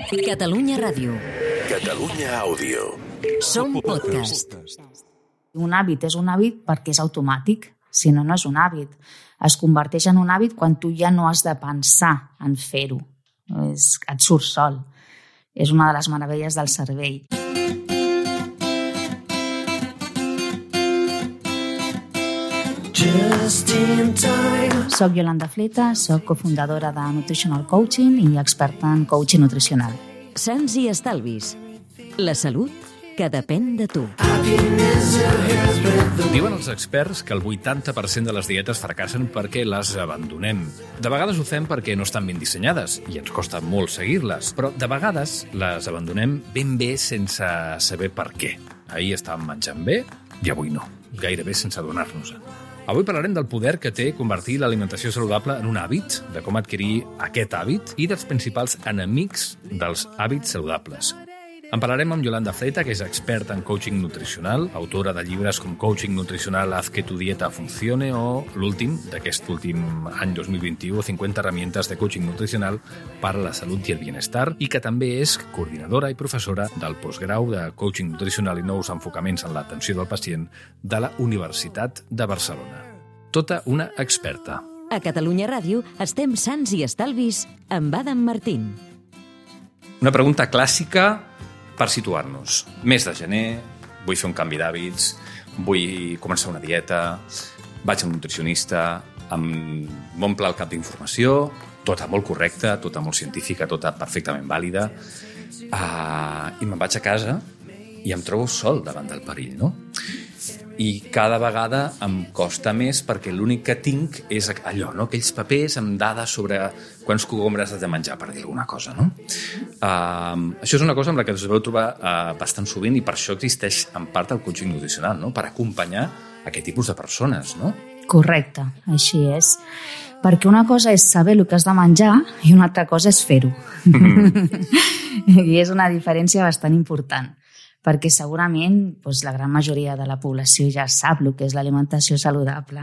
Catalunya Ràdio. Catalunya Àudio. Som podcast. Un hàbit és un hàbit perquè és automàtic, si no, no és un hàbit. Es converteix en un hàbit quan tu ja no has de pensar en fer-ho. Et surt sol. És una de les meravelles del cervell. Soc Yolanda Fleta, soc cofundadora de Nutritional Coaching i experta en coaching nutricional. Sants i estalvis. La salut que depèn de tu. Diuen els experts que el 80% de les dietes fracassen perquè les abandonem. De vegades ho fem perquè no estan ben dissenyades i ens costa molt seguir-les, però de vegades les abandonem ben bé sense saber per què. Ahir estàvem menjant bé i avui no, gairebé sense adonar-nos-en. Avui parlarem del poder que té convertir l'alimentació saludable en un hàbit, de com adquirir aquest hàbit i dels principals enemics dels hàbits saludables. En parlarem amb Yolanda Fleta, que és experta en coaching nutricional, autora de llibres com Coaching Nutricional, Haz que tu dieta funcione, o l'últim, d'aquest últim any 2021, 50 herramientas de coaching nutricional per a la salut i el bienestar, i que també és coordinadora i professora del postgrau de coaching nutricional i nous enfocaments en l'atenció del pacient de la Universitat de Barcelona. Tota una experta. A Catalunya Ràdio estem sants i estalvis amb Adam Martín. Una pregunta clàssica per situar-nos. Mes de gener, vull fer un canvi d'hàbits, vull començar una dieta, vaig a un nutricionista, m'omple el cap d'informació, tota molt correcta, tota molt científica, tota perfectament vàlida, i me'n vaig a casa i em trobo sol davant del perill, no? I cada vegada em costa més perquè l'únic que tinc és allò, no? Aquells papers amb dades sobre quants cogombres has de menjar, per dir alguna cosa, no? Això és una cosa amb la que us veu trobar bastant sovint i per això existeix en part el coaching nutricional, no? Per acompanyar aquest tipus de persones, no? Correcte, així és. Perquè una cosa és saber el que has de menjar i una altra cosa és fer-ho. I és una diferència bastant important. Perquè segurament la gran majoria de la població ja sap el que és l'alimentació saludable.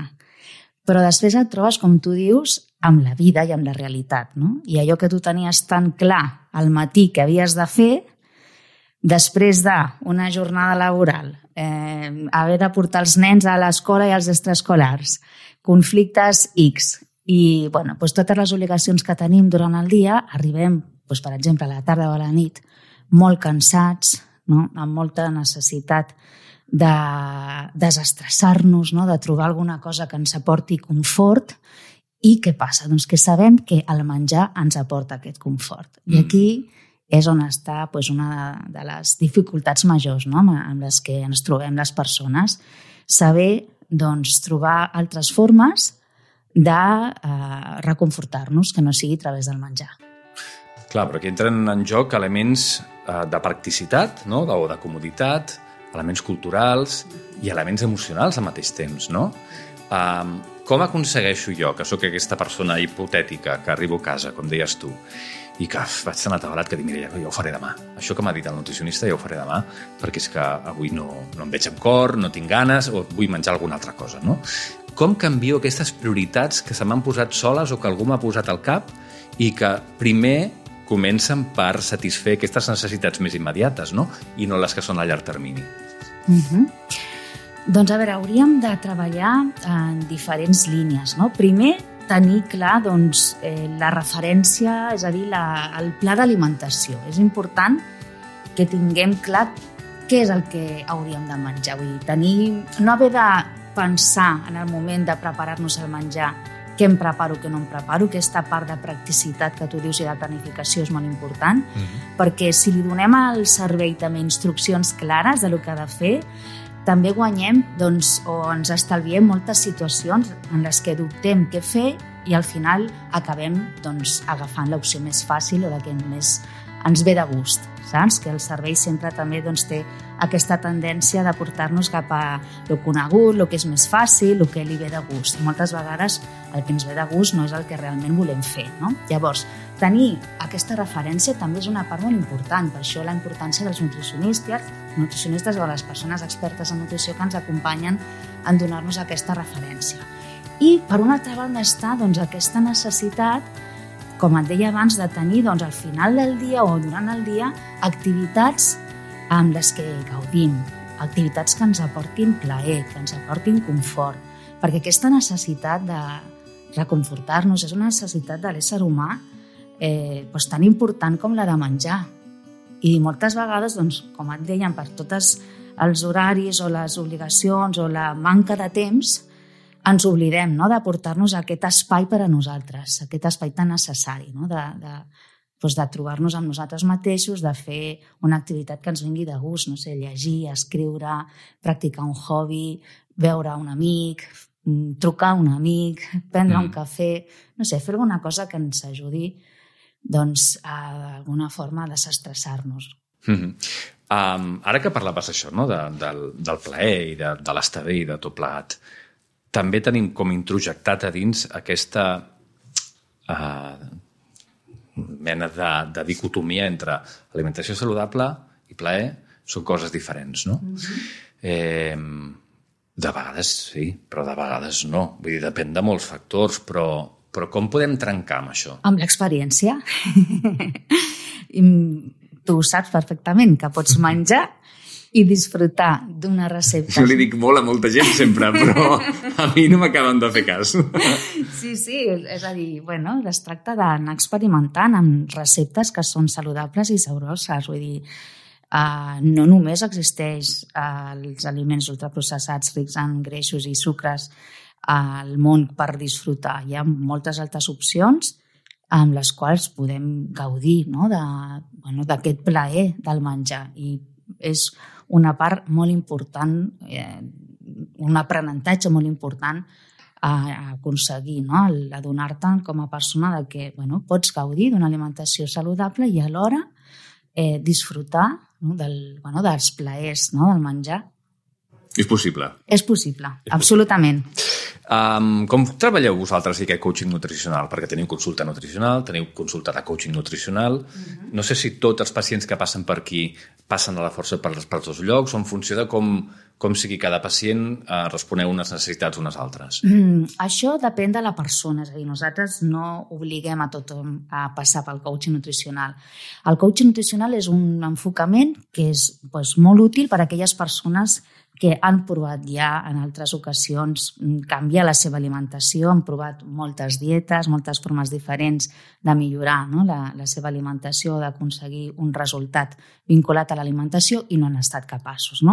Però després et trobes, com tu dius, amb la vida i amb la realitat, no? I allò que tu tenies tan clar al matí que havies de fer, després d'una jornada laboral, haver de portar els nens a l'escola i als extraescolars, conflictes X, i totes les obligacions que tenim durant el dia, arribem, per exemple, a la tarda o a la nit, molt cansats, no? Amb molta necessitat de desestressar-nos, no? De trobar alguna cosa que ens aporti confort. I què passa? Doncs que sabem que el menjar ens aporta aquest confort. I aquí és on està una de les dificultats majors, no? Amb les que ens trobem les persones. Saber trobar altres formes de reconfortar-nos, que no sigui a través del menjar. Clar, però aquí entren en joc elements de practicitat, no? O de comoditat, elements culturals i elements emocionals al mateix temps, no? Com aconsegueixo jo, que sóc aquesta persona hipotètica que arribo a casa, com deies tu, i que vaig tan atabalat que dic, mira, ja ho faré demà. Això que m'ha dit el nutricionista ja ho faré demà, perquè és que avui no em veig amb cor, no tinc ganes, o vull menjar alguna altra cosa, no? Com canvio aquestes prioritats que se m'han posat soles o que algú m'ha posat al cap i que primer comencen per satisfer aquestes necessitats més immediates, no? I no les que són a llarg termini. Doncs, a veure, hauríem de treballar en diferents línies, no? Primer, tenir clar la referència, és a dir, el pla d'alimentació. És important que tinguem clar què és el que hauríem de menjar. Vull dir, no haver de pensar en el moment de preparar-nos el menjar què em preparo, què no em preparo, aquesta part de practicitat que tu dius i de planificació és molt important, perquè si li donem al cervell també instruccions clares de lo que ha de fer, també guanyem o ens estalviem moltes situacions en les que dubtem què fer i al final acabem agafant l'opció més fàcil o la que més ens ve de gust, saps? Que el cervell sempre també té aquesta tendència de portar-nos cap a lo conegut, el que és més fàcil, el que li ve de gust. Moltes vegades el que ens ve de gust no és el que realment volem fer, no? Llavors, tenir aquesta referència també és una part molt important, per això la importància dels nutricionistes o les persones expertes en nutrició que ens acompanyen en donar-nos aquesta referència. I per una altra banda està aquesta necessitat com et deia abans, de tenir al final del dia o durant el dia activitats amb les que gaudim, activitats que ens aportin plaer, que ens aportin confort, perquè aquesta necessitat de reconfortar-nos és una necessitat de l'ésser humà tan important com la de menjar. I moltes vegades, com et deien, per tots els horaris o les obligacions o la manca de temps, ens oblidem de portar-nos aquest espai per a nosaltres, aquest espai tan necessari, de trobar-nos amb nosaltres mateixos, de fer una activitat que ens vingui de gust, no sé, llegir, escriure, practicar un hobby, veure un amic, trucar a un amic, prendre un cafè, no sé, fer alguna cosa que ens ajudi d'alguna forma a desestressar-nos. Ara que parlaves això, del plaer i de l'estar bé i de tot plegat, també tenim com introjectat a dins aquesta mena de dicotomia entre alimentació saludable i plaer. Són coses diferents, no? De vegades sí, però de vegades no. Vull dir, depèn de molts factors, però com podem trencar amb això? Amb l'experiència. Tu saps perfectament que pots menjar i disfrutar d'una recepta. Jo li dic molt a molta gent sempre, però a mi no m'acaben de fer cas. Sí, és a dir, es tracta d'anar experimentant amb receptes que són saludables i sabroses. Vull dir, no només existeix els aliments ultraprocessats rics en greixos i sucres al món per disfrutar. Hi ha moltes altres opcions amb les quals podem gaudir d'aquest plaer del menjar. I és una part molt important, un aprenentatge molt important a aconseguir, adonar-te com a persona de que pots gaudir d'una alimentació saludable i alhora disfrutar dels plaers del menjar. És possible? És possible, absolutament. Com treballeu vosaltres aquest coaching nutricional? Perquè teniu consulta nutricional, teniu consulta de coaching nutricional. No sé si tots els pacients que passen per aquí passen a la força per tots llocs o en funció de com sigui cada pacient responeu unes necessitats unes altres. Això depèn de la persona. És a dir, nosaltres no obliguem a tothom a passar pel coaching nutricional. El coaching nutricional és un enfocament que és molt útil per a aquelles persones que han provat ja en altres ocasions canviar la seva alimentació, han provat moltes dietes, moltes formes diferents de millorar la seva alimentació, d'aconseguir un resultat vinculat a l'alimentació i no han estat capaços.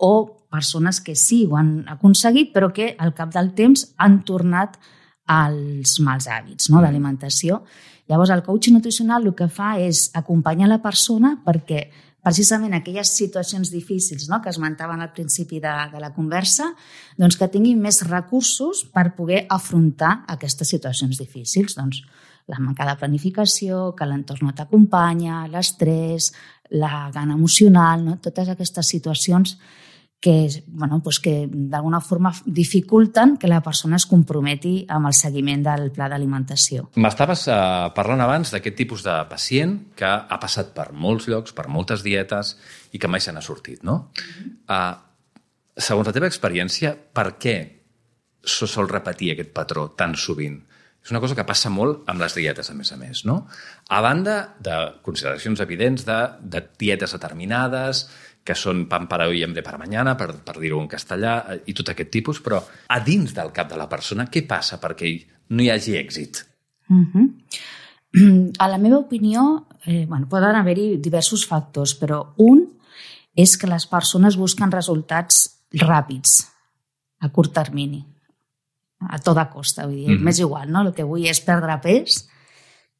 O persones que sí ho han aconseguit però que al cap del temps han tornat als mals hàbits d'alimentació. Llavors el coaching nutricional el que fa és acompanyar la persona perquè precisament aquelles situacions difícils que esmentaven al principi de la conversa, que tinguin més recursos per poder afrontar aquestes situacions difícils. La manca de planificació, que l'entorn no t'acompanya, l'estrès, la gana emocional, totes aquestes situacions que d'alguna forma dificulten que la persona es comprometi amb el seguiment del pla d'alimentació. M'estaves parlant abans d'aquest tipus de pacient que ha passat per molts llocs, per moltes dietes i que mai se n'ha sortit, no? Segons la teva experiència, per què se sol repetir aquest patró tan sovint? És una cosa que passa molt amb les dietes, a més, no? A banda de consideracions evidents de dietes determinades, que són pan para hoy y hambre para mañana, per dir-ho en castellà, i tot aquest tipus, però a dins del cap de la persona, què passa perquè no hi hagi èxit? A la meva opinió, poden haver-hi diversos factors, però un és que les persones busquen resultats ràpids, a curt termini, a tota costa. Vull dir, m'és igual, el que vull és perdre pes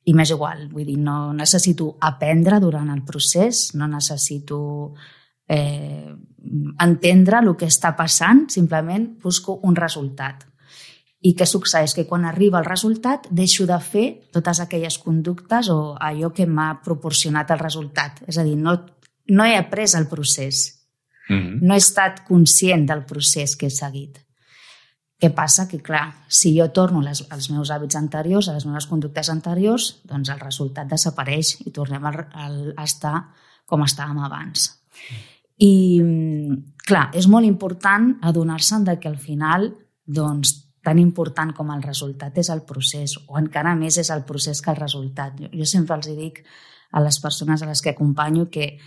i m'és igual. Vull dir, no necessito aprendre durant el procés, no necessito entendre el que està passant, simplement busco un resultat. I què succeeix? Que quan arriba el resultat deixo de fer totes aquelles conductes o allò que m'ha proporcionat el resultat. És a dir, no he après el procés. No he estat conscient del procés que he seguit. Què passa? Que, clar, si jo torno als meus hàbits anteriors, a les meves conductes anteriors, doncs el resultat desapareix i tornem a estar com estàvem abans. I, clar, és molt important adonar-se'n que al final tan important com el resultat és el procés, o encara més és el procés que el resultat. Jo sempre els dic a les persones a les que acompanyo que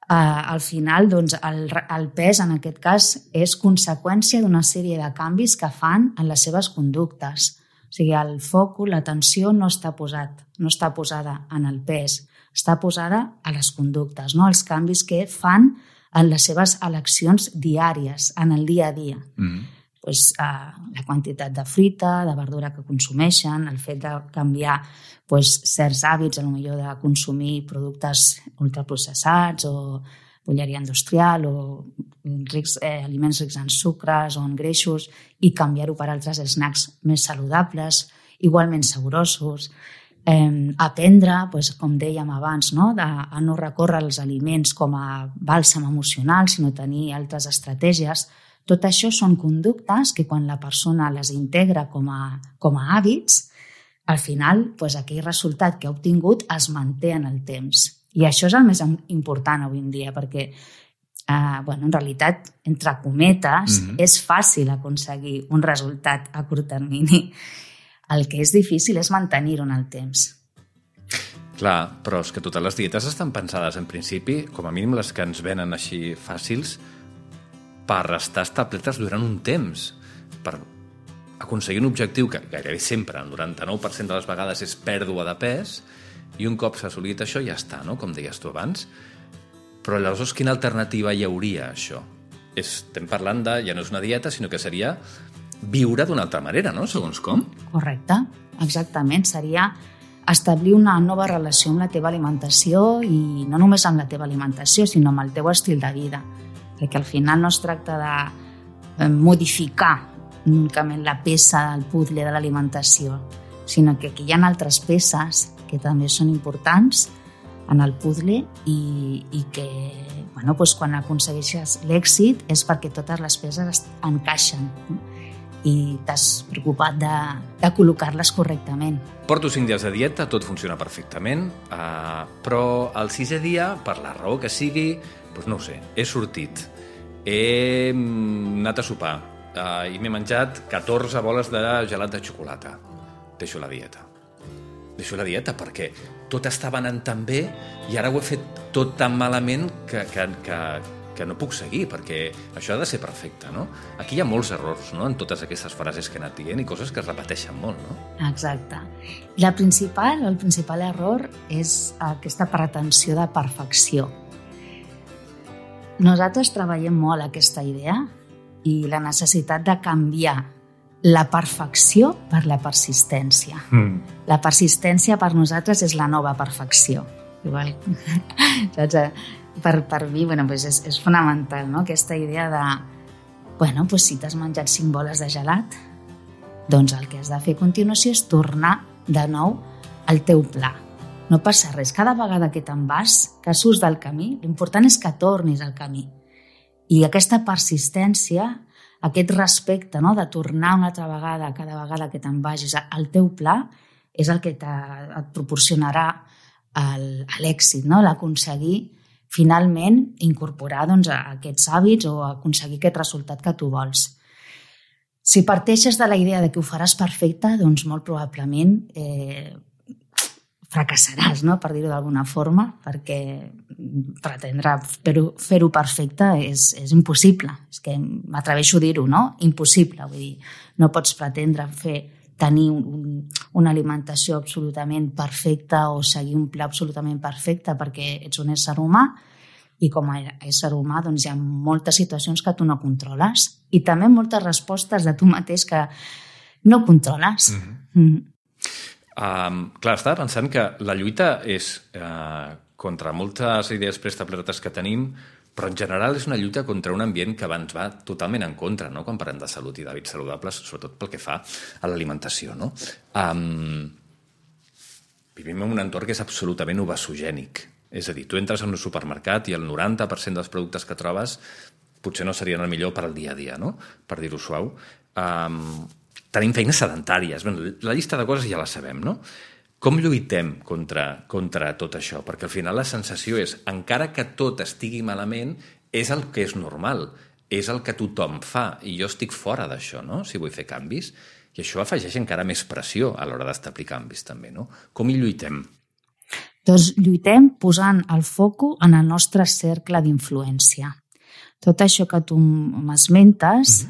al final doncs, el pes en aquest cas és conseqüència d'una sèrie de canvis que fan en les seves conductes. O sigui, el focus, l'atenció no està posada en el pes, està posada a les conductes, no? Els canvis que fan en les seves eleccions diàries, en el dia a dia. Pues, la quantitat de fruita, de verdura que consumeixen, el fet de canviar certs hàbits, potser de consumir productes ultraprocessats o bolleria industrial o aliments rics en sucres o en greixos i canviar-ho per altres snacks més saludables, igualment saborosos. Aprendre, com dèiem abans, a no recórrer als aliments com a bàlsam emocional, sinó tenir altres estratègies. Tot això són conductes que quan la persona les integra com a hàbits, al final aquell resultat que ha obtingut es manté en el temps. I això és el més important avui en dia, perquè en realitat, entre cometes, és fàcil aconseguir un resultat a curt termini. El que és difícil és mantenir-ho en el temps. Clar, però és que totes les dietes estan pensades en principi, com a mínim les que ens venen així fàcils, per estar establertes durant un temps, per aconseguir un objectiu que gairebé sempre, el 99% de les vegades, és pèrdua de pes, i un cop s'ha assolit això ja està, no? Com deies tu abans. Però llavors quina alternativa hi hauria a això? Estem parlant de, ja no és una dieta, sinó que seria viure d'una altra manera, no? Segons com. Correcte, exactament. Seria establir una nova relació amb la teva alimentació i no només amb la teva alimentació, sinó amb el teu estil de vida. Perquè al final no es tracta de modificar únicament la peça del puzzle de l'alimentació, sinó que aquí hi ha altres peces que també són importants en el puzzle i que quan aconsegueixes l'èxit és perquè totes les peces encaixen i t'has preocupat de col·locar-les correctament. Porto 5 dies de dieta, tot funciona perfectament, però el 6è dia, per la raó que sigui, no ho sé, he sortit, he anat a sopar i m'he menjat 14 boles de gelat de xocolata. Deixo la dieta. Deixo la dieta perquè tot estava anant tan bé i ara ho he fet tot tan malament que no puc seguir, perquè això ha de ser perfecte, no? Aquí hi ha molts errors, no?, en totes aquestes frases que he anat dient i coses que es repeteixen molt, no? Exacte. El principal error és aquesta pretensió de perfecció. Nosaltres treballem molt aquesta idea i la necessitat de canviar la perfecció per la persistència. La persistència per nosaltres és la nova perfecció. Igual, saps? Per mi és fonamental, no? Aquesta idea de si t'has menjat 5 boles de gelat, doncs el que has de fer a continuació és tornar de nou al teu pla. No passa res. Cada vegada que te'n vas, que surts del camí, l'important és que tornis al camí. I aquesta persistència, aquest respecte, no?, de tornar una altra vegada, cada vegada que te'n vagis al teu pla, és el que et proporcionarà l'èxit, no?, l'aconseguir finalment incorporar aquests hàbits o aconseguir aquest resultat que tu vols. Si parteixes de la idea de que ho faràs perfecte, doncs molt probablement fracassaràs, no?, per dir-ho d'alguna forma, perquè pretendre fer-ho perfecte és impossible. És que m'atreveixo a dir-ho, no? Impossible. Vull dir, no pots pretendre tenir una alimentació absolutament perfecta o seguir un pla absolutament perfecte perquè ets un ésser humà i com a ésser humà doncs hi ha moltes situacions que tu no controles i també moltes respostes de tu mateix que no controles. Clar, estava pensant que la lluita és contra moltes idees preestablertes que tenim, però en general és una lluita contra un ambient que ens va totalment en contra, no?, quan parlem de salut i d'hàbits saludables, sobretot pel que fa a l'alimentació, no? Vivim en un entorn que és absolutament obesogènic. És a dir, tu entres en un supermercat i el 90% dels productes que trobes potser no serien el millor per al dia a dia, no?, per dir-ho suau. Tenim feines sedentàries. La llista de coses ja la sabem, no? Com lluitem contra tot això? Perquè al final la sensació és, encara que tot estigui malament, és el que és normal, és el que tothom fa, i jo estic fora d'això, no?, si vull fer canvis. I això afegeix encara més pressió a l'hora d'establir canvis, també, no? Com hi lluitem? Doncs lluitem posant el foco en el nostre cercle d'influència. Tot això que tu m'esmentes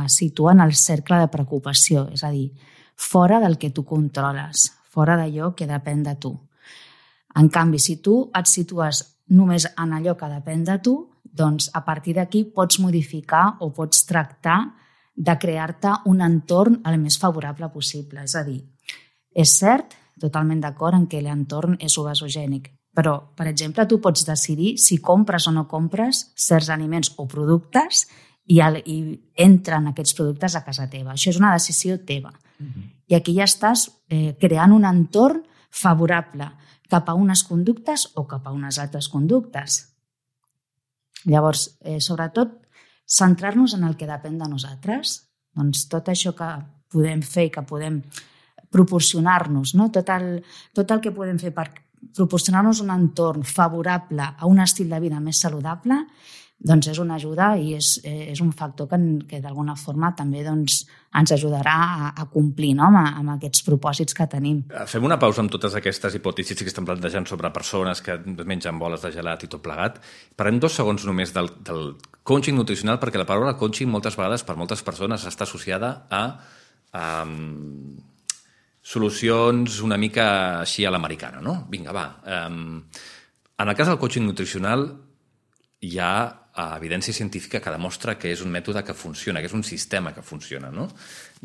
situa en el cercle de preocupació, és a dir, fora del que tu controles, fora d'allò que depèn de tu. En canvi, si tu et situes només en allò que depèn de tu, doncs a partir d'aquí pots modificar o pots tractar de crear-te un entorn el més favorable possible. És a dir, és cert, totalment d'acord en què l'entorn és obesogènic, però, per exemple, tu pots decidir si compres o no compres certs aliments o productes i entren aquests productes a casa teva. Això és una decisió teva. I aquí ja estàs creant un entorn favorable cap a unes conductes o cap a unes altres conductes. Llavors, sobretot, centrar-nos en el que depèn de nosaltres. Doncs tot això que podem fer i que podem proporcionar-nos, no? Tot el que podem fer per proporcionar-nos un entorn favorable a un estil de vida més saludable, doncs és una ajuda i és un factor que d'alguna forma també doncs, ens ajudarà a complir, no? amb aquests propòsits que tenim. Fem una pausa amb totes aquestes hipòtesis que estan plantejant sobre persones que mengen boles de gelat i tot plegat. Parlem 2 segons només del coaching nutricional, perquè la paraula coaching moltes vegades per moltes persones està associada a solucions una mica així a l'americana, no? Vinga, va. En el cas del coaching nutricional hi ha evidència científica que demostra que és un mètode que funciona, que és un sistema que funciona, no?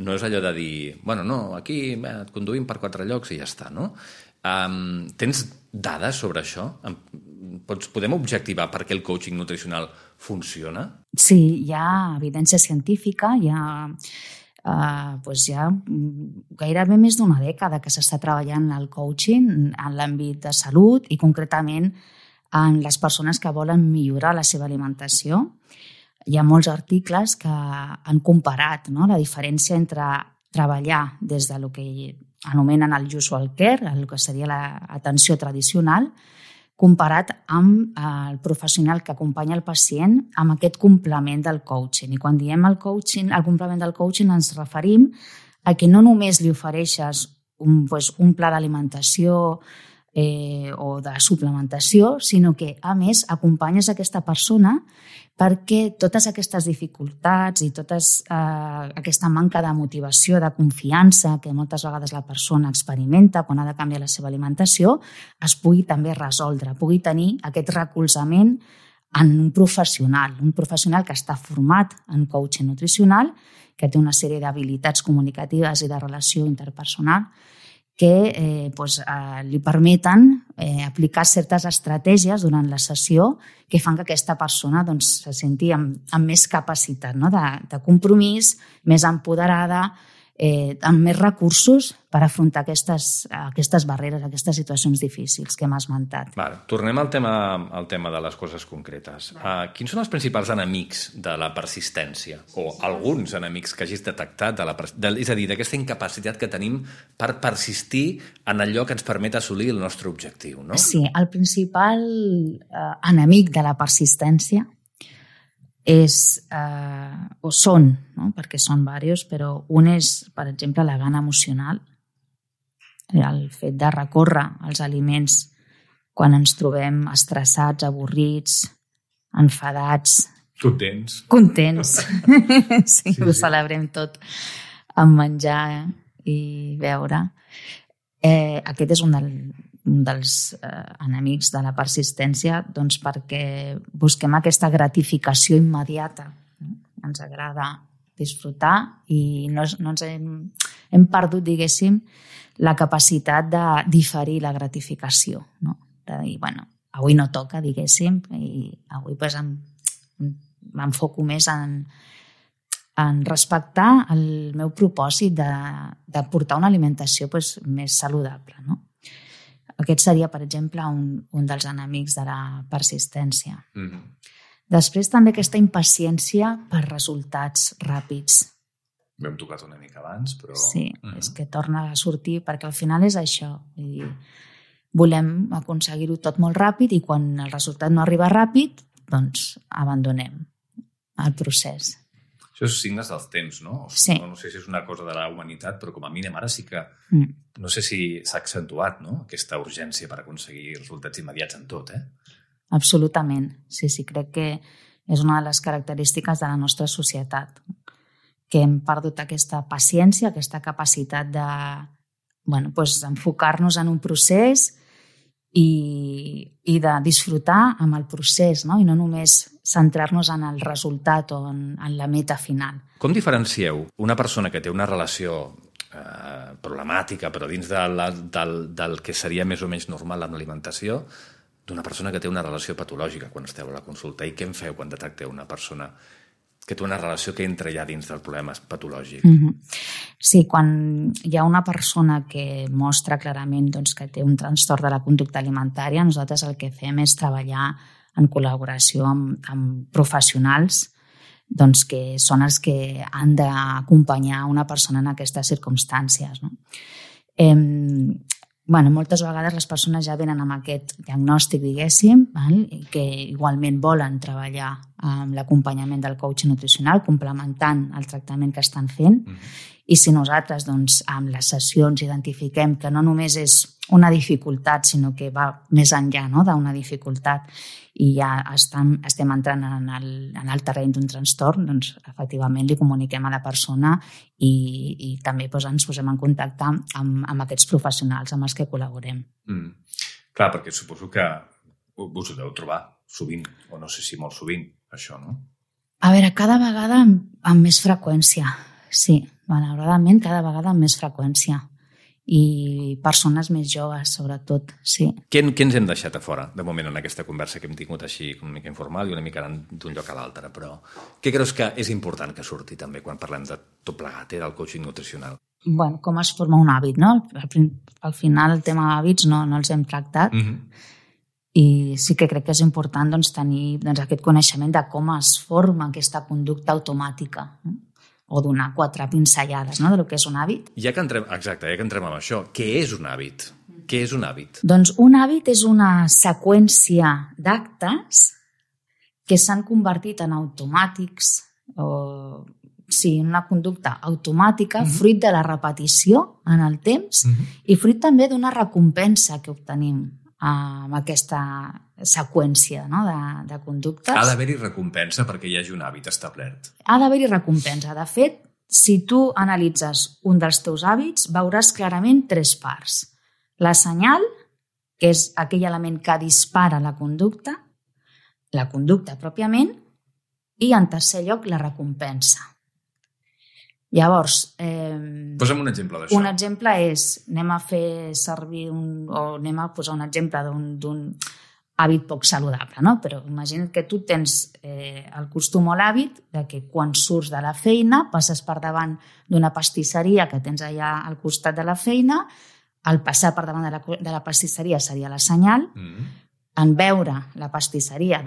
No és allò de dir, bueno, no, aquí et conduïm per 4 llocs i ja està, no? Tens dades sobre això? Podem objectivar per què el coaching nutricional funciona? Sí, hi ha evidència científica, hi ha gairebé més d'1 dècada que s'està treballant el coaching en l'àmbit de salut i concretament en les persones que volen millorar la seva alimentació. Hi ha molts articles que han comparat, no? La diferència entre treballar des de lo que anomenen el usual care, el que seria l'atenció tradicional, comparat amb el professional que acompanya el pacient amb aquest complement del coaching. I quan diem el complement del coaching ens referim a que no només li ofereixes un pla d'alimentació o de suplementació, sinó que, a més, acompanyes aquesta persona perquè totes aquestes dificultats i tota aquesta manca de motivació, de confiança que moltes vegades la persona experimenta quan ha de canviar la seva alimentació, es pugui també resoldre, pugui tenir aquest recolzament en un professional que està format en coaching nutricional, que té una sèrie d'habilitats comunicatives i de relació interpersonal que li permeten aplicar certes estratègies durant la sessió que fan que aquesta persona se senti amb més capacitat, no? de compromís, més empoderada, amb més recursos per afrontar aquestes barreres, aquestes situacions difícils que hem esmentat. Tornem al tema de les coses concretes. Quins són els principals enemics de la persistència? O alguns enemics que hagis detectat, és a dir, d'aquesta incapacitat que tenim per persistir en allò que ens permet assolir el nostre objectiu, no? Sí, el principal enemic de la persistència són, no? Perquè són diversos, però un és, per exemple, la gana emocional, el fet de recórrer als aliments quan ens trobem estressats, avorrits, enfadats. Contents. Sí, ho celebrem tot amb menjar i beure. Aquest és un dels enemics de la persistència, doncs perquè busquem aquesta gratificació immediata. Ens agrada disfrutar i no ens hem perdut, diguéssim, la capacitat de diferir la gratificació, no? De dir, bueno, avui no toca, diguéssim, i avui m'enfoco més en respectar el meu propòsit de portar una alimentació més saludable, no? Aquest seria, per exemple, un dels enemics de la persistència. Després també aquesta impaciència per resultats ràpids. Ho hem tocat una mica abans, però... Sí, és que torna a sortir, perquè al final és això. Volem aconseguir-ho tot molt ràpid i quan el resultat no arriba ràpid, doncs abandonem el procés. Això és signes dels temps, no? Sí. No sé si és una cosa de la humanitat, però com a mínim ara sí que... No sé si s'ha accentuat, no?, aquesta urgència per aconseguir resultats immediats en tot, Absolutament. Sí, crec que és una de les característiques de la nostra societat, que hem perdut aquesta paciència, aquesta capacitat de enfocar-nos en un procés i de disfrutar amb el procés, no? I no només centrar-nos en el resultat o en la meta final. Com diferencieu una persona que té una relació problemàtica, però dins del que seria més o menys normal amb l'alimentació, d'una persona que té una relació patològica quan esteu a la consulta? I què en feu quan detecteu una persona que té una relació que entra ja dins del problema patològic? Sí, quan hi ha una persona que mostra clarament que té un trastorn de la conducta alimentària, nosaltres el que fem és treballar en col·laboració amb professionals que són els que han d'acompanyar una persona en aquestes circumstàncies, no? Moltes vegades les persones ja venen amb aquest diagnòstic, diguéssim, i que igualment volen treballar amb l'acompanyament del coach nutricional, complementant el tractament que estan fent. I si nosaltres, amb les sessions, identifiquem que no només és una dificultat, sinó que va més enllà, no?, d'una dificultat, i ja estem entrant en el terreny d'un trastorn, efectivament li comuniquem a la persona i també ens posem en contacte amb aquests professionals amb els que col·laborem. Clar, perquè suposo que us ho deu trobar sovint, o no sé si molt sovint, això, no? A veure, cada vegada amb més freqüència, sí, malauradament cada vegada amb més freqüència. I persones més joves, sobretot, sí. Què ens hem deixat a fora, de moment, en aquesta conversa que hem tingut així una mica informal i una mica d'un lloc a l'altre? Però què creus que és important que surti també quan parlem de tot plegat, del coaching nutricional? Com es forma un hàbit, no? Al final el tema d'hàbits no els hem tractat i sí que crec que és important tenir aquest coneixement de com es forma aquesta conducta automàtica, o donar 4 pinzellades, no?, del que és un hàbit. Ja que entrem amb això, què és un hàbit? Què és un hàbit? Doncs un hàbit és una seqüència d'actes que s'han convertit en automàtics, en una conducta automàtica, fruit de la repetició en el temps i fruit també d'una recompensa que obtenim amb aquesta seqüència, no?, de conductes. Ha d'haver-hi recompensa perquè hi hagi un hàbit establert. Ha d'haver-hi recompensa. De fet, si tu analitzes un dels teus hàbits, veuràs clarament 3 parts. La senyal, que és aquell element que dispara la conducta pròpiament, i en tercer lloc la recompensa. Llavors... Posa'm un exemple d'això. Un exemple és, anem a posar un exemple d'un hàbit poc saludable, no? Però imagina't que tu tens el costum o l'hàbit de que quan surts de la feina passes per davant d'una pastisseria que tens allà al costat de la feina, al passar per davant de la pastisseria seria la senyal, en veure la pastisseria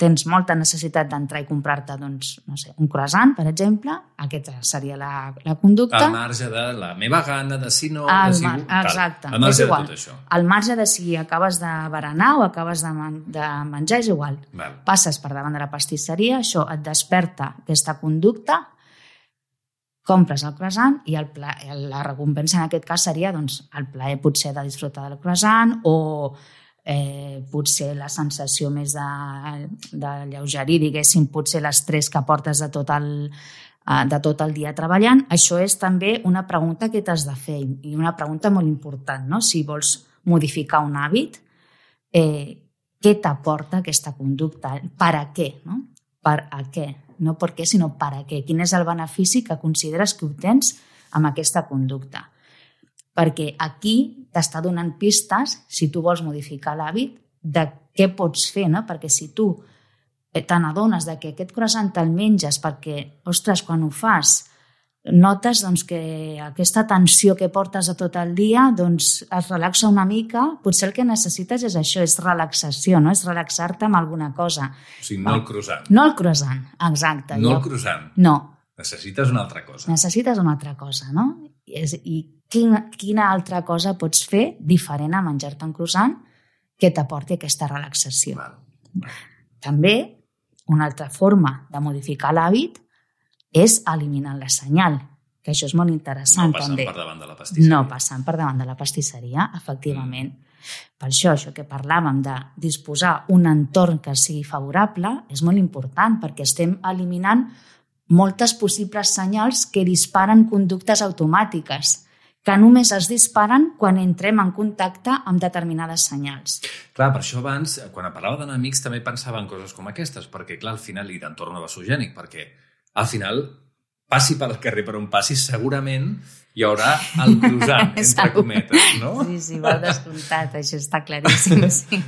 tens molta necessitat d'entrar i comprar-te un croissant, per exemple, aquesta seria la conducta. Al marge de la meva gana, de si no... Exacte, és igual. De tot això. Al marge de si acabes de berenar o acabes de menjar, és igual. Passes per davant de la pastisseria, això et desperta aquesta conducta, compres el croissant i la recompensa en aquest cas seria el plaer potser de disfrutar del croissant o potser la sensació més de lleugerir, diguéssim, potser l'estrès que portes de tot el dia treballant. Això és també una pregunta que t'has de fer i una pregunta molt important, no? Si vols modificar un hàbit, què t'aporta aquesta conducta? Per a què? No? Per a què? No per què, sinó per a què? Quin és el benefici que consideres que obtens amb aquesta conducta? Perquè aquí t'està donant pistes, si tu vols modificar l'hàbit, de què pots fer, no? Perquè si tu te n'adones que aquest croissant te'l menges perquè, ostres, quan ho fas, notes que aquesta tensió que portes de tot el dia es relaxa una mica, potser el que necessites és això, és relaxació, no? És relaxar-te amb alguna cosa. O sigui, no el croissant. No el croissant, exacte. No el croissant. No. Necessites una altra cosa. Necessites una altra cosa, no? I quina altra cosa pots fer diferent a menjar-te un croissant que t'aporti aquesta relaxació. Val. També Una altra forma de modificar l'hàbit és eliminant la senyal, que això és molt interessant. No passant també. Per davant de la pastisseria. No passant per davant de la pastisseria, efectivament. Per això que parlàvem de disposar un entorn que sigui favorable és molt important, perquè estem eliminant moltes possibles senyals que disparen conductes automàtiques, que només es disparen quan entrem en contacte amb determinades senyals. Clar, per això abans, quan parlava d'enemics, també pensava en coses com aquestes, perquè, clar, al final, i d'entorn vasogènic, perquè, al final, passi pel carrer per on passi, segurament hi haurà el croissant, entre cometes, no? Sí, molt descomptat, això està claríssim, sí.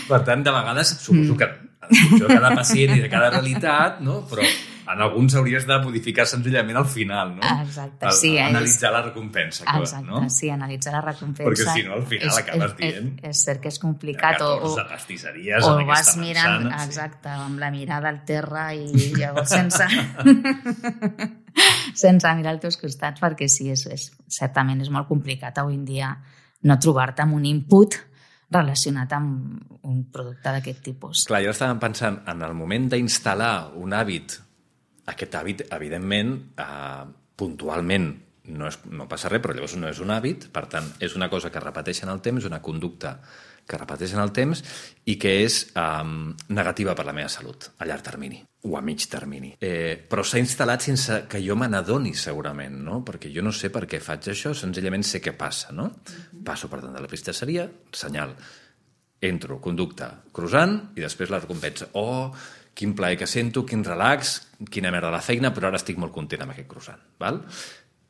Per tant, de vegades, suposo que en funció de cada pacient i de cada realitat, no? Però en alguns hauries de modificar senzillament al final, no? Exacte, sí. Analitzar la recompensa, exacte, no? Sí, analitzar la recompensa. Perquè si no, al final acabes dient... És cert que és complicat. 14 pastisseries o en aquesta vas mirant, manzana. exacte, amb la mirada al terra i llavors sense mirar als teus costats, perquè sí, certament és molt complicat avui en dia no trobar-te amb un input relacionat amb un producte d'aquest tipus. Clar, jo estava pensant, en el moment d'instal·lar un hàbit, aquest hàbit, evidentment, puntualment no passa res, però llavors no és un hàbit, per tant, és una cosa que repeteix en el temps, una conducta que repeteix en el temps i que és negativa per la meva salut a llarg termini o a mig termini. Però s'ha instal·lat sense que jo me n'adoni, segurament, no? Perquè jo no sé per què faig això, senzillament sé què passa, no? Passo per tant de la pastisseria, senyal, entro, conducta, croissant i després la recompensa. Oh, quin plaer que sento, quin relax, quina merda la feina, però ara estic molt content amb aquest croissant, val?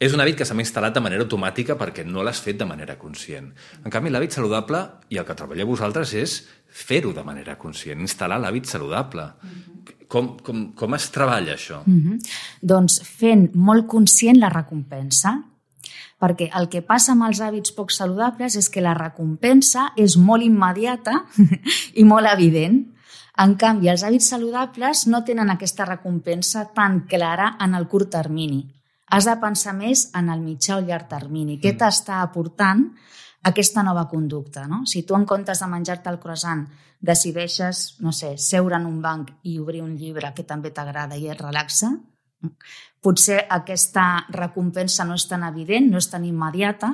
És un hàbit que s'ha instal·lat de manera automàtica perquè no l'has fet de manera conscient. En canvi, l'hàbit saludable, i el que treballeu vosaltres, és fer-ho de manera conscient, instal·lar l'hàbit saludable. Com es treballa això? Doncs fent molt conscient la recompensa, perquè el que passa amb els hàbits poc saludables és que la recompensa és molt immediata i molt evident. En canvi, els hàbits saludables no tenen aquesta recompensa tan clara en el curt termini. Has de pensar més en el mitjà o llarg termini. Què t'està aportant aquesta nova conducta, no? Si tu en comptes de menjar-te el croissant decideixes, no sé, seure en un banc i obrir un llibre que també t'agrada i et relaxa, potser aquesta recompensa no és tan evident, no és tan immediata,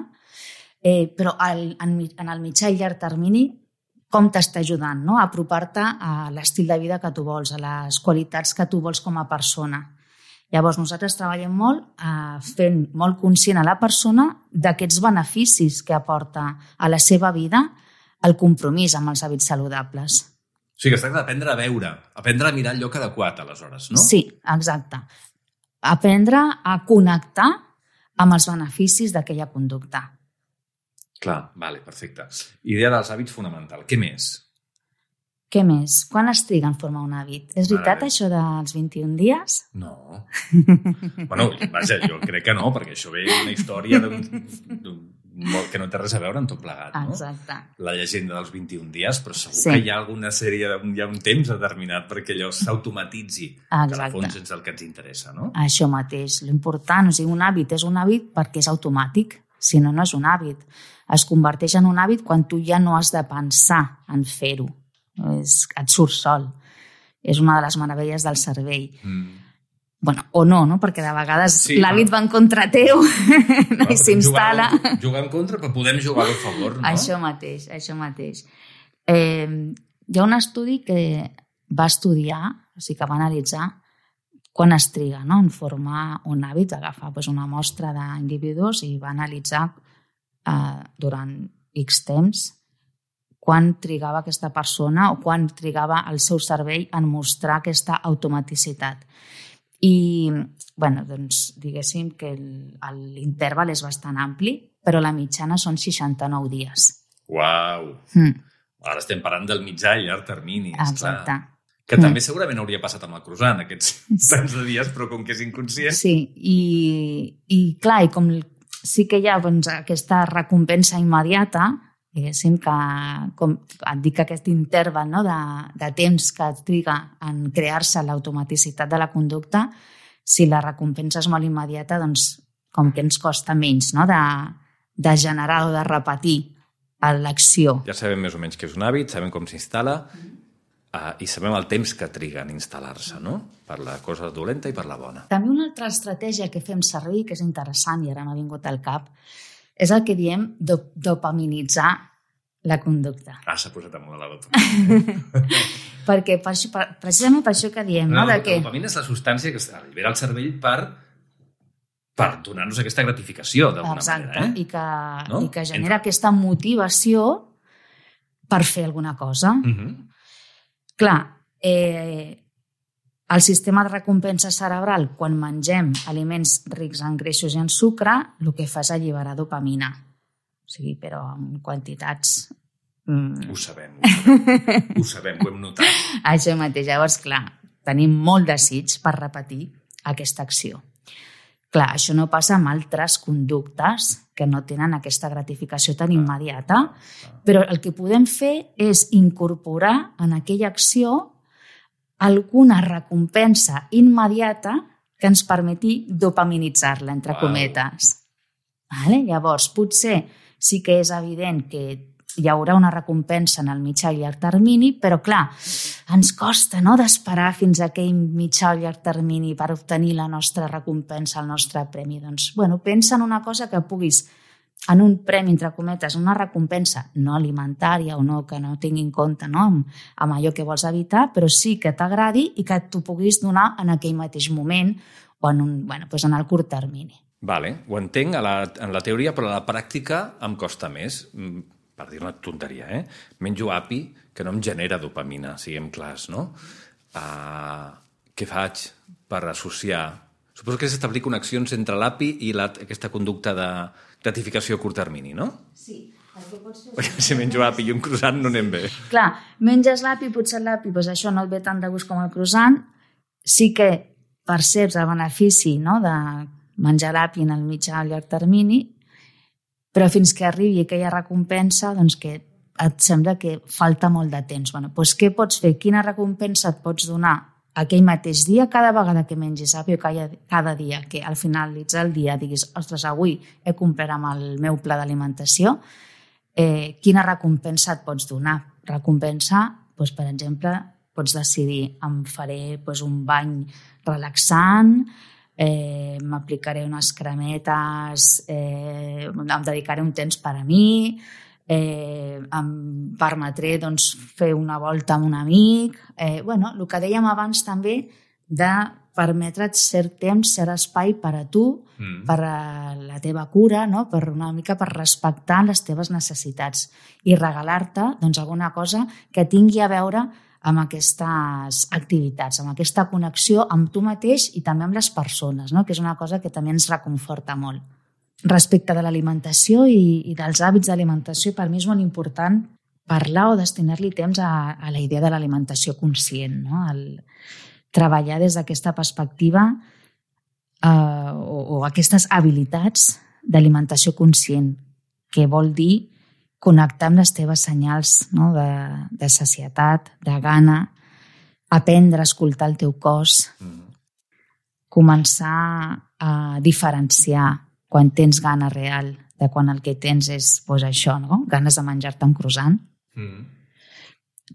però en el mitjà i llarg termini com t'està ajudant, no? A apropar-te a l'estil de vida que tu vols, a les qualitats que tu vols com a persona. Llavors, nosaltres treballem molt fent molt conscient a la persona d'aquests beneficis que aporta a la seva vida el compromís amb els hàbits saludables. O sigui, que es tracta d'aprendre a veure, aprendre a mirar el lloc adequat, aleshores, no? Sí, exacte. Aprendre a connectar amb els beneficis d'aquella conducta. Clar, vale, perfecte. Idea dels hàbits fonamental. Què més? Què més? Quan es triga en formar un hàbit? És veritat això dels 21 dies? No. Bueno, vaja, jo crec que no, perquè això ve una història que no té res a veure amb tot plegat, no? Exacte. La llegenda dels 21 dies, però segur que hi ha alguna sèrie, hi ha un temps determinat perquè allò s'automatitzi, que al fons és el que ens interessa, no? Això mateix, l'important, o sigui, un hàbit és un hàbit perquè és automàtic, si no, no és un hàbit. Es converteix en un hàbit quan tu ja no has de pensar en fer-ho. Et surt sol. És una de les meravelles del cervell. Bueno, o no, perquè de vegades l'hàbit va en contra teu i s'instal·la. Jugar en contra, però podem jugar a favor, no? Això mateix. Hi ha un estudi que va estudiar, o sigui que va analitzar quan es triga, no?, en formar un hàbit, agafar una mostra d'individus i va analitzar durant X temps quan trigava aquesta persona o quan trigava el seu cervell en mostrar aquesta automaticitat. I, doncs, diguéssim que l'interval és bastant ampli, però la mitjana són 69 dies. Uau! Ara estem parlant del mitjà i llarg termini, esclar. Exacte. Que també segurament hauria passat amb el croissant, aquests tants de dies, però com que és inconscient... Sí, i clar, i com sí que hi ha aquesta recompensa immediata, diguéssim que, com et dic, aquest interval, no, de temps que triga en crear-se l'automaticitat de la conducta, si la recompensa és molt immediata, doncs com que ens costa menys, no, de generar o de repetir l'acció. Ja sabem més o menys què és un hàbit, sabem com s'instal·la. i sabem el temps que triga en instal·lar-se, no? Per la cosa dolenta i per la bona. També una altra estratègia que fem servir, que és interessant i ara m'ha vingut al cap, és el que diem dopaminitzar la conducta. S'ha posat amunt de la dopamina. Perquè precisament per això que diem, no? La dopamina és la substància que es allibera al cervell per donar-nos aquesta gratificació, d'alguna manera. Exacte, i que genera aquesta motivació per fer alguna cosa. Clar, el sistema de recompensa cerebral, quan mengem aliments rics en greixos i en sucre, el que fa és alliberar dopamina. O sigui, però en quantitats... Ho sabem, ho hem notat. Això mateix. Llavors, clar, tenim molt desig per repetir aquesta acció. Clar, això no passa amb altres conductes que no tenen aquesta gratificació tan immediata, però el que podem fer és incorporar en aquella acció alguna recompensa immediata que ens permeti dopaminitzar-la, entre cometes. Vale? Llavors, potser sí que és evident que hi haurà una recompensa en el mitjà i llarg termini, però clar, ens costa d'esperar fins a aquell mitjà o llarg termini per obtenir la nostra recompensa, el nostre premi. Doncs, pensa en una cosa que puguis, en un premi, entre cometes, una recompensa no alimentària o no, que no tingui en compte amb allò que vols evitar, però sí que t'agradi i que t'ho puguis donar en aquell mateix moment o en el curt termini. Vale, ho entenc en la teoria, però a la pràctica em costa més. Per dir una tonteria, menjo api que no em genera dopamina, siguem clars, no? Què faig per associar? Suposo que s'establir connexions entre l'api i aquesta conducta de gratificació a curt termini, no? Sí. Perquè si menjo api i un croissant no anem bé. Clar, menges l'api, potser l'api, això no et ve tant de gust com el croissant, sí que perceps el benefici de menjar l'api en el mitjà o llarg termini, però fins que arribi aquella recompensa, que et sembla que falta molt de temps. Què pots fer? Quina recompensa et pots donar aquell mateix dia, cada vegada que mengis api o cada dia que al finalitzar el dia diguis, ostres, avui he complert amb el meu pla d'alimentació, quina recompensa et pots donar? Recompensa, per exemple, pots decidir, em faré un bany relaxant, m'aplicaré unes cremetes, em dedicaré un temps per a mi, em permetré fer una volta amb un amic. El que dèiem abans també de permetre't cert temps, cert espai per a tu, per a la teva cura, per una mica per respectar les teves necessitats i regalar-te alguna cosa que tingui a veure amb aquestes activitats, amb aquesta connexió amb tu mateix i també amb les persones, que és una cosa que també ens reconforta molt. Respecte de l'alimentació i dels hàbits d'alimentació, per mi és molt important parlar o destinar-li temps a la idea de l'alimentació conscient, el treballar des d'aquesta perspectiva o aquestes habilitats d'alimentació conscient, que vol dir connectar amb les teves senyals de sacietat, de gana, aprendre a escoltar el teu cos, començar a diferenciar quan tens gana real de quan el que tens és això, ganes de menjar-te un croissant.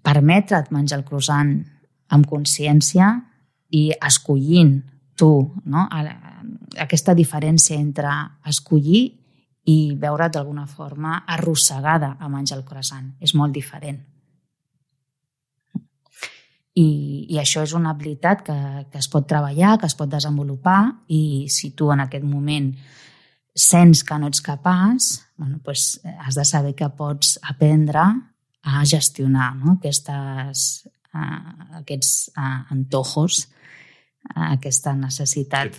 Permetre't menjar el croissant amb consciència i escollint tu, aquesta diferència entre escollir i veure't d'alguna forma arrossegada a menjar el croissant. És molt diferent. I això és una habilitat que es pot treballar, que es pot desenvolupar, i si tu en aquest moment sents que no ets capaç, has de saber que pots aprendre a gestionar aquests antojos, aquesta necessitat,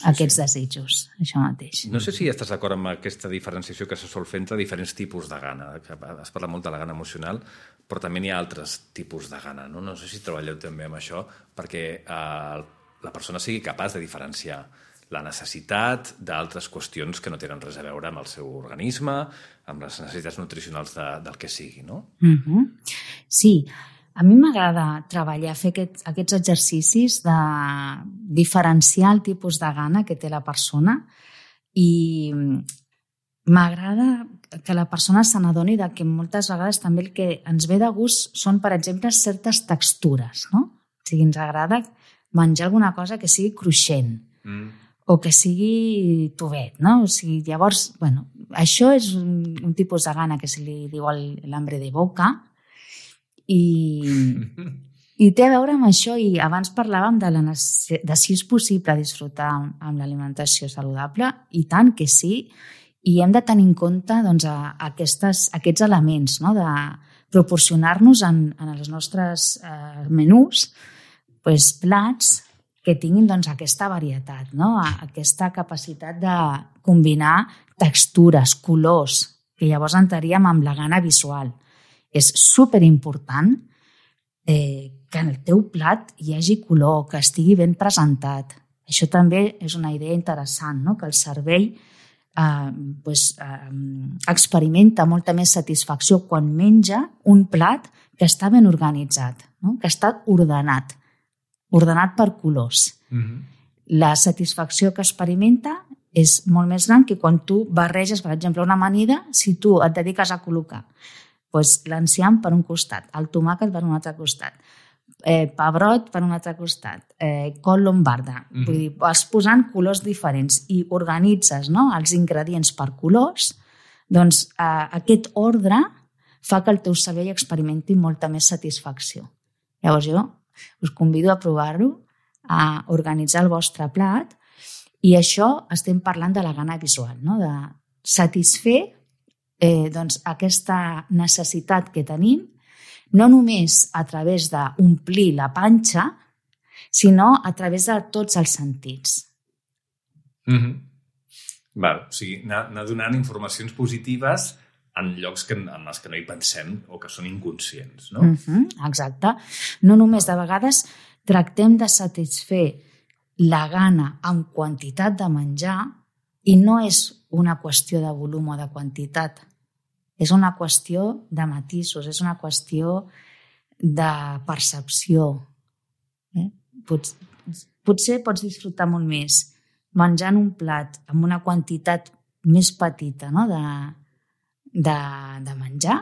aquests desitjos, això mateix. No sé si estàs d'acord amb aquesta diferenciació que se sol fer entre diferents tipus de gana. Es parla molt de la gana emocional, però també n'hi ha altres tipus de gana. No sé si treballeu també amb això perquè la persona sigui capaç de diferenciar la necessitat d'altres qüestions que no tenen res a veure amb el seu organisme, amb les necessitats nutricionals del que sigui, no? Sí, a mi m'agrada treballar, fer aquests exercicis de diferenciar el tipus de gana que té la persona, i m'agrada que la persona se n'adoni que moltes vegades també el que ens ve de gust són, per exemple, certes textures, no? O sigui, ens agrada menjar alguna cosa que sigui cruixent o que sigui tovet, no? O sigui, llavors, bueno, això és un tipus de gana que se li diu l'hambre de boca i té a veure amb això, i abans parlàvem de si és possible disfrutar amb l'alimentació saludable, i tant que sí, i hem de tenir en compte doncs, aquests elements, no? De proporcionar-nos en els nostres menús doncs, plats que tinguin doncs, aquesta varietat, no? Aquesta capacitat de combinar textures, colors, que llavors entraríem amb la gana visual. És superimportant que en el teu plat hi hagi color, que estigui ben presentat. Això també és una idea interessant, no? Que el cervell experimenta molta més satisfacció quan menja un plat que està ben organitzat, no? Que està ordenat per colors. La satisfacció que experimenta és molt més gran que quan tu barreges, per exemple, una amanida, si tu et dediques a col·locar l'enciam per un costat, el tomàquet per un altre costat, pebrot per un altre costat, col lombarda. Vull dir, vas posant colors diferents i organitzes, no? Els ingredients per colors, doncs aquest ordre fa que el teu cervell experimenti molta més satisfacció. Llavors jo us convido a provar-ho, a organitzar el vostre plat, i això estem parlant de la gana visual, no? De satisfer doncs, aquesta necessitat que tenim, no només a través d'omplir la panxa, sinó a través de tots els sentits. Val, o sigui, anar donant informacions positives en llocs en els que no hi pensem o que són inconscients, no? Exacte. No només, de vegades tractem de satisfer la gana amb quantitat de menjar, i no és una qüestió de volum o de quantitat. És una qüestió de matisos, és una qüestió de percepció. Potser pots disfrutar molt més menjant un plat amb una quantitat més petita, no? de menjar,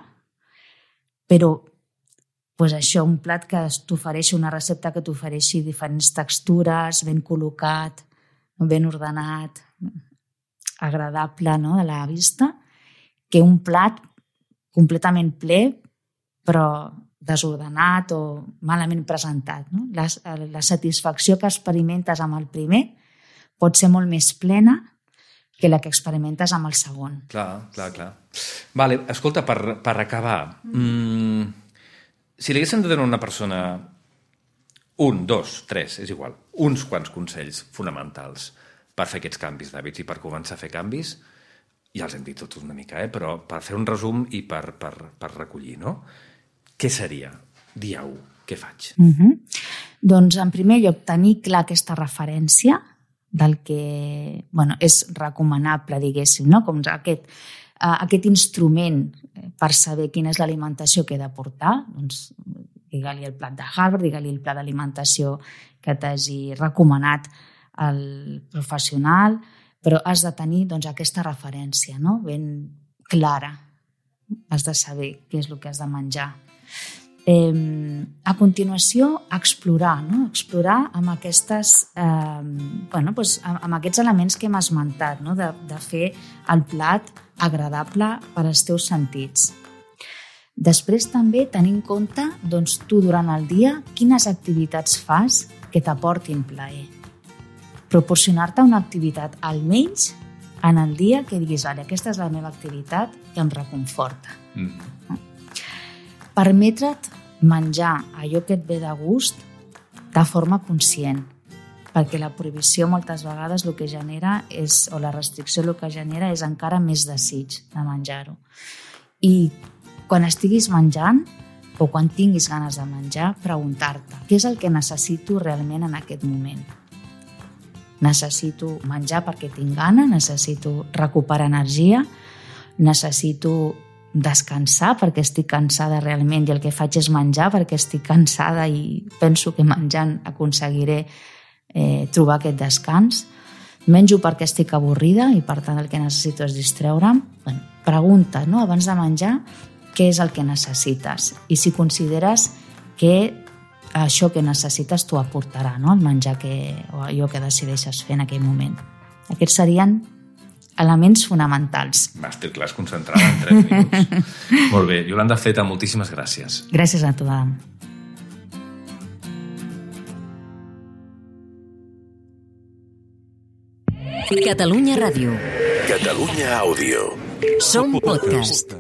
però això, un plat que t'ofereixi, una recepta que t'ofereixi diferents textures, ben col·locat, ben ordenat, agradable, no? A la vista, que un plat completament ple però desordenat o malament presentat, no? La satisfacció que experimentes amb el primer pot ser molt més plena que la que experimentes amb el segon. Clar. Vale, escolta, per acabar, si li haguéssim de donar a una persona 1, 2, 3, és igual, uns quants consells fonamentals per fer aquests canvis d'hàbits i per començar a fer canvis, ja els hem dit tots una mica, però per fer un resum i per recollir, no? Què seria? Dieu, què faig? Doncs, en primer lloc, tenir clar aquesta referència del que és recomanable, diguéssim, no? Com aquest instrument per saber quina és l'alimentació que he de portar, doncs digue-li el plat de Harvard, digue-li el pla d'alimentació que t'hagi recomanat el professional, però has de tenir aquesta referència, no? Ben clara. Has de saber què és el que has de menjar. A continuació, explorar, no? Explorar amb amb aquests elements que hem esmentat, no? De fer el plat agradable per als teus sentits. Després també tenir en compte tu durant el dia quines activitats fas que t'aportin plaer. Proporcionar-te una activitat almenys en el dia que diguis, aquesta és la meva activitat que em reconforta. Permetre't menjar allò que et ve de gust de forma conscient, perquè la prohibició moltes vegades el que genera o la restricció el que genera és encara més desig de menjar-ho. I quan estiguis menjant o quan tinguis ganes de menjar, preguntar-te què és el que necessito realment en aquest moment. Necessito menjar perquè tinc gana, necessito recuperar energia, necessito descansar perquè estic cansada realment i el que faig és menjar perquè estic cansada i penso que menjant aconseguiré trobar aquest descans. menjo perquè estic avorrida i per tant el que necessito és distreure'm. Bueno, pregunta, no? Abans de menjar, què és el que necessites? I si consideres que això que necessites t'ho aportarà, no? El menjar o allò que decideixes fer en aquell moment. Aquests serien elements fonamentals. Masterclass concentrada en 3 minuts. Molt bé. Iolanda Zeta, moltíssimes gràcies. Gràcies a tu, Adam. Catalunya Ràdio. Catalunya Àudio. Som podcast.